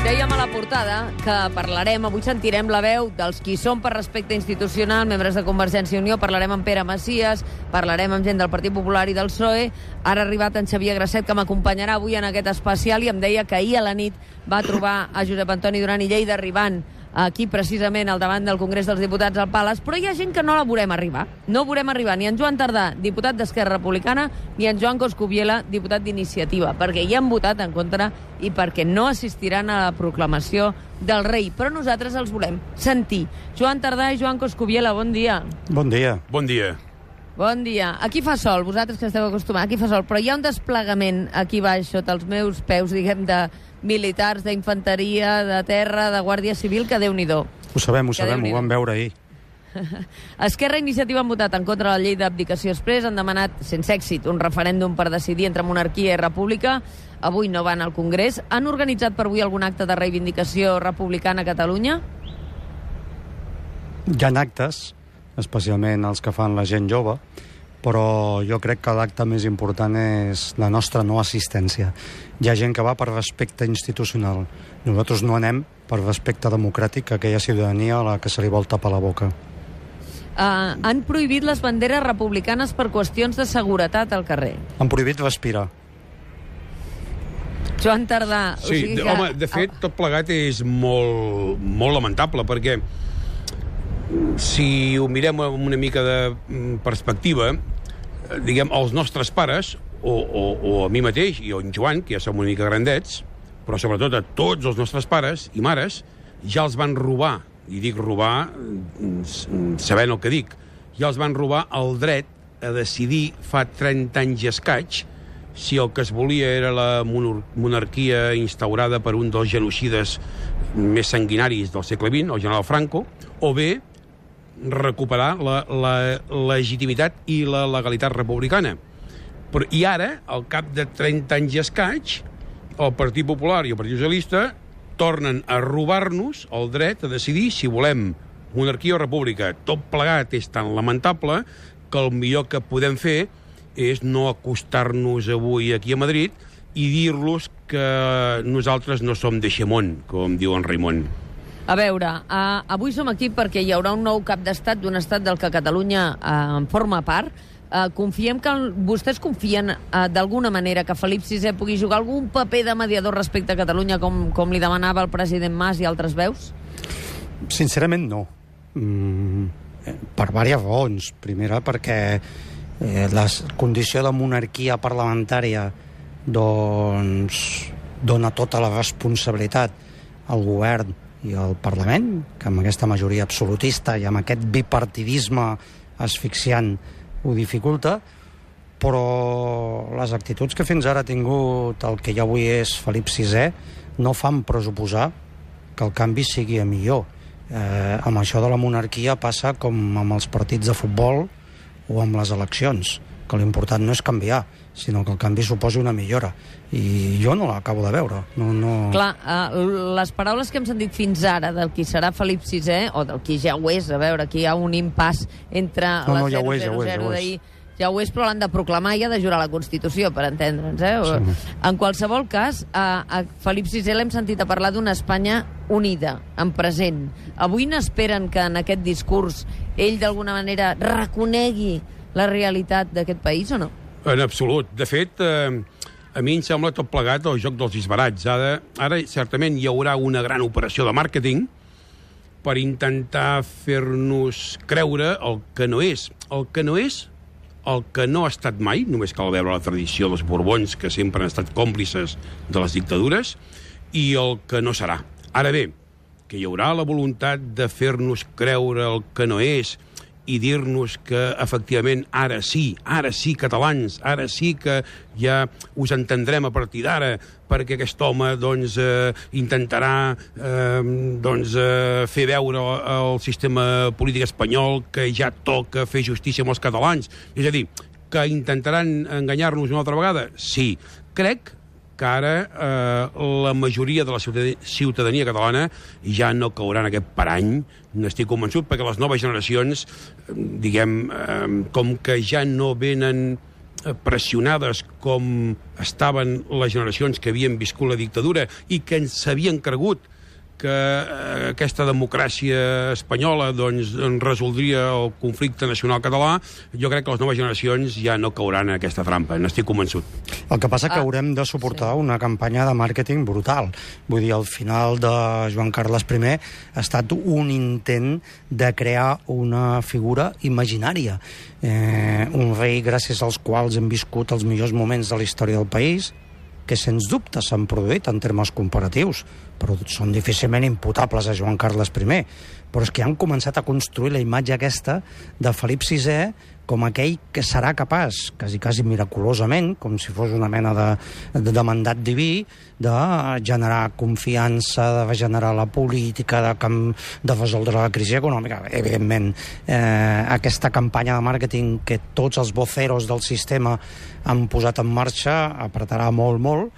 Dèiem a la portada que parlarem, avui sentirem la veu dels qui són per respecte institucional, membres de Convergència i Unió, parlarem amb Pere Macias, parlarem amb gent del Partit Popular i del PSOE. Ara ha arribat en Xavier Grasset, que m'acompanyarà avui en aquest especial, i em deia que ahir a la nit va trobar a Josep Antoni Duran i Lleida arribant aquí precisament al davant del Congrés dels Diputats al Palace, però hi ha gent que no la veurem arribar. No veurem arribar ni en Joan Tardà, diputat d'Esquerra Republicana, ni en Joan Coscubiela, diputat d'Iniciativa, perquè hi han votat en contra i perquè no assistiran a la proclamació del rei. Però nosaltres els volem sentir. Joan Tardà i Joan Coscubiela, bon dia. Bon dia. Bon dia. Bon dia. Aquí fa sol, vosaltres que esteu acostumats, aquí fa sol, però hi ha un desplegament aquí baix, sota els meus peus, diguem, de militars, d'infanteria, de terra, de Guàrdia Civil, que Déu-n'hi-do. Ho sabem, ho vam veure ahir. Esquerra i Iniciativa han votat en contra de la llei d'abdicació exprés, han demanat, sense èxit, un referèndum per decidir entre monarquia i república. Avui no van al Congrés. Han organitzat per avui algun acte de reivindicació republicana a Catalunya? Hi ha actes, especialment els que fan la gent jove, però jo crec que l'acte més important és la nostra no assistència. Hi ha gent que va per respecte institucional. Nosaltres no anem per respecte democràtic a aquella ciutadania a la que se li vol tapar la boca. Han prohibit les banderes republicanes per qüestions de seguretat al carrer. Han prohibit respirar. Joan Tardà... Sí, home, de fet, tot plegat és molt lamentable, perquè si ho mirem amb una mica de perspectiva, diguem, els nostres pares, o a mi mateix, i en Joan, que ja som una mica grandets, però sobretot a tots els nostres pares i mares, ja els van robar, i dic robar sabent el que dic, ja els van robar el dret a decidir fa 30 anys i escaig si el que es volia era la monarquia instaurada per un dels genocides més sanguinaris del segle XX, el general Franco, o bé recuperar la legitimitat i la legalitat republicana. I ara, al cap de 30 anys i escaig, el Partit Popular i el Partit Socialista tornen a robar-nos el dret a decidir si volem monarquia o república. Tot plegat és tan lamentable que el millor que podem fer és no acostar-nos avui aquí a Madrid i dir-los que nosaltres no som de Xemón, com diu en Raimon. A veure, avui som aquí perquè hi haurà un nou cap d'estat d'un estat del que Catalunya en forma part. Confiem que vostès confien d'alguna manera que Felip VI pugui jugar algun paper de mediador respecte a Catalunya com li demanava el president Mas i altres veus? Sincerament no. Per diverses raons. Primera, perquè la condició de monarquia parlamentària doncs dona tota la responsabilitat al govern i al Parlament, que amb aquesta majoria absolutista i amb aquest bipartidisme asfixiant ho dificulta, però les actituds que fins ara ha tingut el que ja avui és Felip VI no fan pressuposar que el canvi sigui a millor. Amb això de la monarquia passa com amb els partits de futbol o amb les eleccions, que l'important no és canviar, sinó que el canvi suposi una millora. I jo no l'acabo de veure. Clar, les paraules que hem sentit fins ara del qui serà Felip VI, o del qui ja ho és, a veure, aquí hi ha un impàs entre la 000 d'ahir. Ja ho és, però l'han de proclamar i ha de jurar la Constitució, per entendre'ns. Sí. En qualsevol cas, a Felip VI l'hem sentit a parlar d'una Espanya unida, en present. Avui n'esperen que en aquest discurs ell d'alguna manera reconegui la realitat d'aquest país o no? En absolut. De fet, a mi em sembla tot plegat el joc dels disbarats. Ara certament hi haurà una gran operació de màrqueting per intentar fer-nos creure el que no és. El que no és, el que no ha estat mai, només cal veure la tradició dels Borbons, que sempre han estat còmplices de les dictadures, i el que no serà. Ara bé, que hi haurà la voluntat de fer-nos creure el que no és i dir-nos que, efectivament, ara sí, catalans, ara sí que ja us entendrem a partir d'ara, perquè aquest home, doncs, intentarà fer veure al sistema polític espanyol que ja toca fer justícia amb els catalans. És a dir, que intentaran enganyar-nos una altra vegada? Sí. Crec que ara la majoria de la ciutadania catalana ja no caurà en aquest parany, n'estic convençut, perquè les noves generacions, diguem, com que ja no venen pressionades com estaven les generacions que havien viscut la dictadura i que s'havien cregut que aquesta democràcia espanyola doncs, resoldria el conflicte nacional català, jo crec que les noves generacions ja no cauran en aquesta trampa, n'estic convençut. El que passa que haurem de suportar una campanya de màrqueting brutal. Vull dir, al final de Joan Carles I ha estat un intent de crear una figura imaginària. Un rei gràcies als quals hem viscut els millors moments de la història del país, que sens dubte s'han produït en termes comparatius, però són difícilment imputables a Joan Carles I. Però és que han començat a construir la imatge aquesta de Felip VI com aquell que serà capaç, quasi miraculosament, com si fos una mena de mandat diví, de generar confiança, de generar la política, de resoldre la crisi econòmica. Evidentment, aquesta campanya de màrqueting que tots els voceros del sistema han posat en marxa apretarà molt,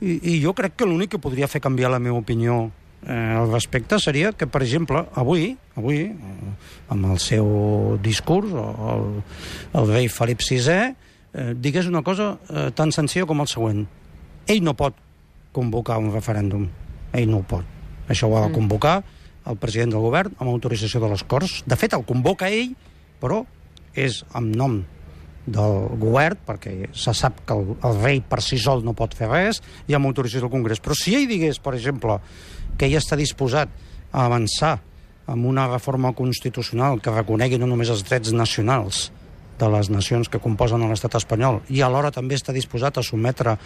i jo crec que l'únic que podria fer canviar la meva opinió al respecte seria que, per exemple, avui, amb el seu discurs, el rei Felip VI digués una cosa tan senzilla com el següent. Ell no pot convocar un referèndum. Ell no ho pot. Això ho ha de convocar el president del govern amb autorització de les Corts. De fet, el convoca ell, però és en nom del govern, perquè se sap que el rei per si sol no pot fer res, i amb autorització del Congrés. Però si ell digués, per exemple, que ell està disposat a avançar amb una reforma constitucional que reconegui no només els drets nacionals de les nacions que composen l'estat espanyol i alhora també està disposat a sotmetre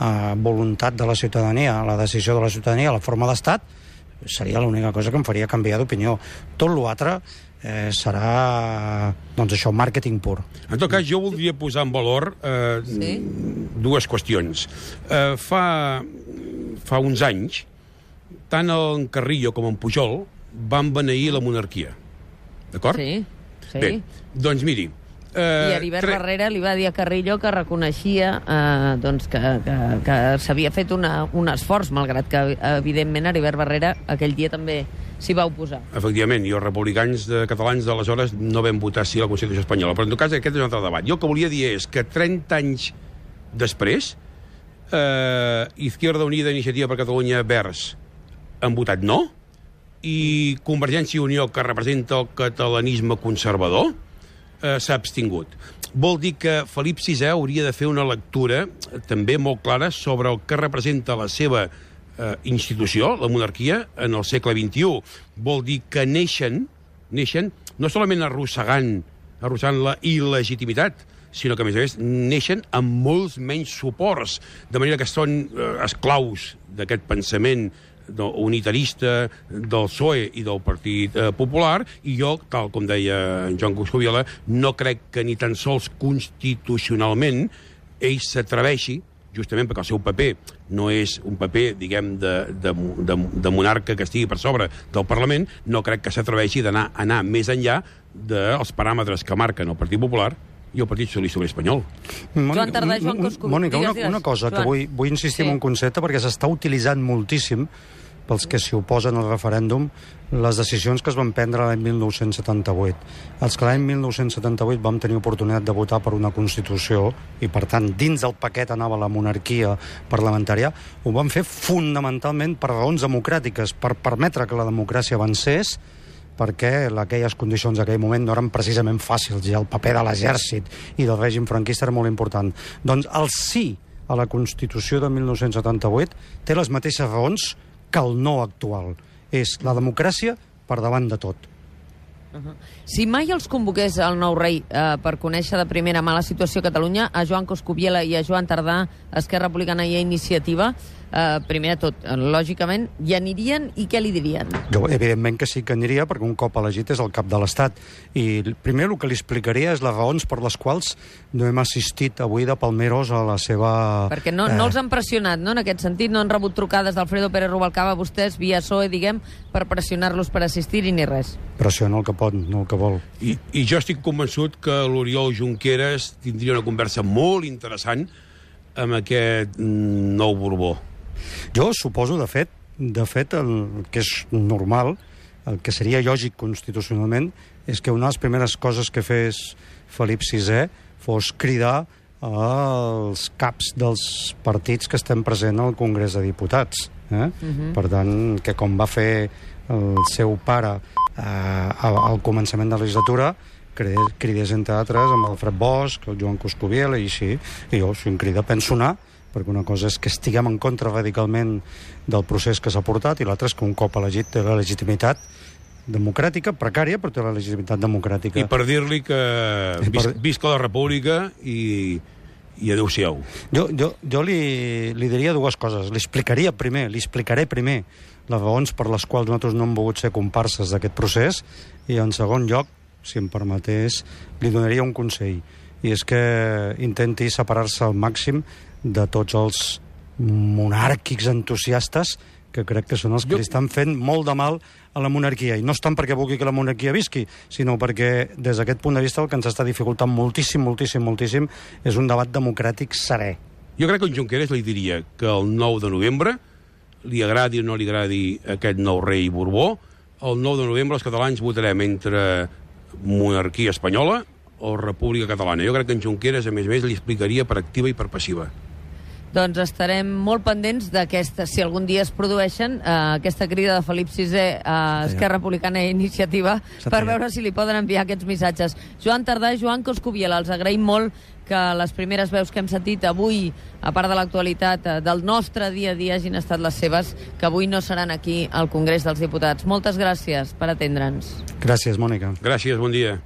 a voluntat de la ciutadania, a la decisió de la ciutadania, a la forma d'estat, seria l'única cosa que em faria canviar d'opinió. Tot l'altre serà, doncs això, màrqueting pur. En tot cas, jo voldria posar en valor dues qüestions. Fa uns anys, tant en Carrillo com en Pujol van beneir la monarquia. D'acord? Sí. Bé, doncs miri... I Heribert Barrera li va dir a Carrillo que reconeixia doncs que s'havia fet un esforç, malgrat que, evidentment, Heribert Barrera aquell dia també s'hi va oposar. Efectivament, i els republicans catalans d'aleshores no vam votar sí a la Constitució espanyola, però en tot cas aquest és un altre debat. Jo el que volia dir és que 30 anys després Izquierda Unida, Iniciativa per Catalunya, Verds han votat no, i Convergència i Unió, que representa el catalanisme conservador, s'ha abstingut. Vol dir que Felip VI hauria de fer una lectura també molt clara sobre el que representa la seva institució, la monarquia, en el segle XXI. Vol dir que neixen no solament arrossegant la il·legitimitat, sinó que, a més, neixen amb molts menys suports, de manera que són esclaus d'aquest pensament unitarista del PSOE i del Partit Popular, i jo, tal com deia en Joan Coscubiela, no crec que ni tan sols constitucionalment ell s'atreveixi, justament perquè el seu paper no és un paper, diguem, de monarca que estigui per sobre del Parlament, no crec que s'atreveixi d'anar més enllà dels paràmetres que marquen el Partit Popular i el Partit Socialista Obrer Espanyol. Joan Tardà, Joan Coscubiela. Mònica, una cosa que vull insistir en un concepte, perquè s'està utilitzant moltíssim pels que s'hi oposen al referèndum les decisions que es van prendre l'any 1978. Els que l'any 1978 vam tenir oportunitat de votar per una Constitució i, per tant, dins del paquet anava la monarquia parlamentària, ho vam fer fonamentalment per raons democràtiques, per permetre que la democràcia avancés, perquè aquelles condicions d'aquell moment no eren precisament fàcils, i el paper de l'exèrcit i del règim franquista era molt important. Doncs el sí a la Constitució de 1978 té les mateixes raons que el no actual. És la democràcia per davant de tot. Si mai els convoqués el nou rei per conèixer de primera mà la situació a Catalunya, a Joan Coscubiela i a Joan Tardà, Esquerra Republicana i a Iniciativa, primer de tot, lògicament, hi anirien i què li dirien? Jo, evidentment que sí que aniria, perquè un cop elegit és el cap de l'Estat. I primer el que li explicaria és les raons per les quals no hem assistit avui de Palmeros a la seva... Perquè no els han pressionat, no?, en aquest sentit. No han rebut trucades d'Alfredo Pérez Rubalcaba, vostès, via PSOE, diguem, per pressionar-los per assistir-hi ni res. Pressiona el que pot, no el que vol. I jo estic convençut que l'Oriol Junqueras tindria una conversa molt interessant amb aquest nou Borbó. Jo suposo, de fet, el que és normal, el que seria lògic constitucionalment, és que una de les primeres coses que fes Felip VI fos cridar als caps dels partits que estem presents al Congrés de Diputats. Per tant, que com va fer el seu pare al començament de la legislatura, cridés entre altres amb el Fred Bosch, el Joan Coscubiela i així, i jo, si em crida, penso anar, perquè una cosa és que estiguem en contra radicalment del procés que s'ha portat i l'altra és que un cop elegit té la legitimitat democràtica, precària, però té la legitimitat democràtica. I per dir-li que visca la república i adeu-siau. Jo li diria dues coses. Li explicaré primer les raons per les quals nosaltres no hem volgut ser comparses d'aquest procés i, en segon lloc, si em permetés, li donaria un consell. I és que intenti separar-se al màxim de tots els monàrquics entusiastes que crec que són els que li estan fent molt de mal a la monarquia. I no és tant perquè vulgui que la monarquia visqui, sinó perquè, des d'aquest punt de vista, el que ens està dificultant moltíssim és un debat democràtic serè. Jo crec que en Junqueras li diria que el 9 de novembre, li agradi o no li agradi aquest nou rei Borbó, el 9 de novembre els catalans votarem entre monarquia espanyola o república catalana. Jo crec que en Junqueras, a més, li explicaria per activa i per passiva. Doncs estarem molt pendents d'aquesta, si algun dia es produeixen, aquesta crida de Felip VI a Esquerra Republicana i Iniciativa per veure si li poden enviar aquests missatges. Joan Tardà i Joan Coscubiela, els agraïm molt que les primeres veus que hem sentit avui, a part de l'actualitat del nostre dia a dia, hagin estat les seves, que avui no seran aquí al Congrés dels Diputats. Moltes gràcies per atendre'ns. Gràcies, Mònica. Gràcies, bon dia.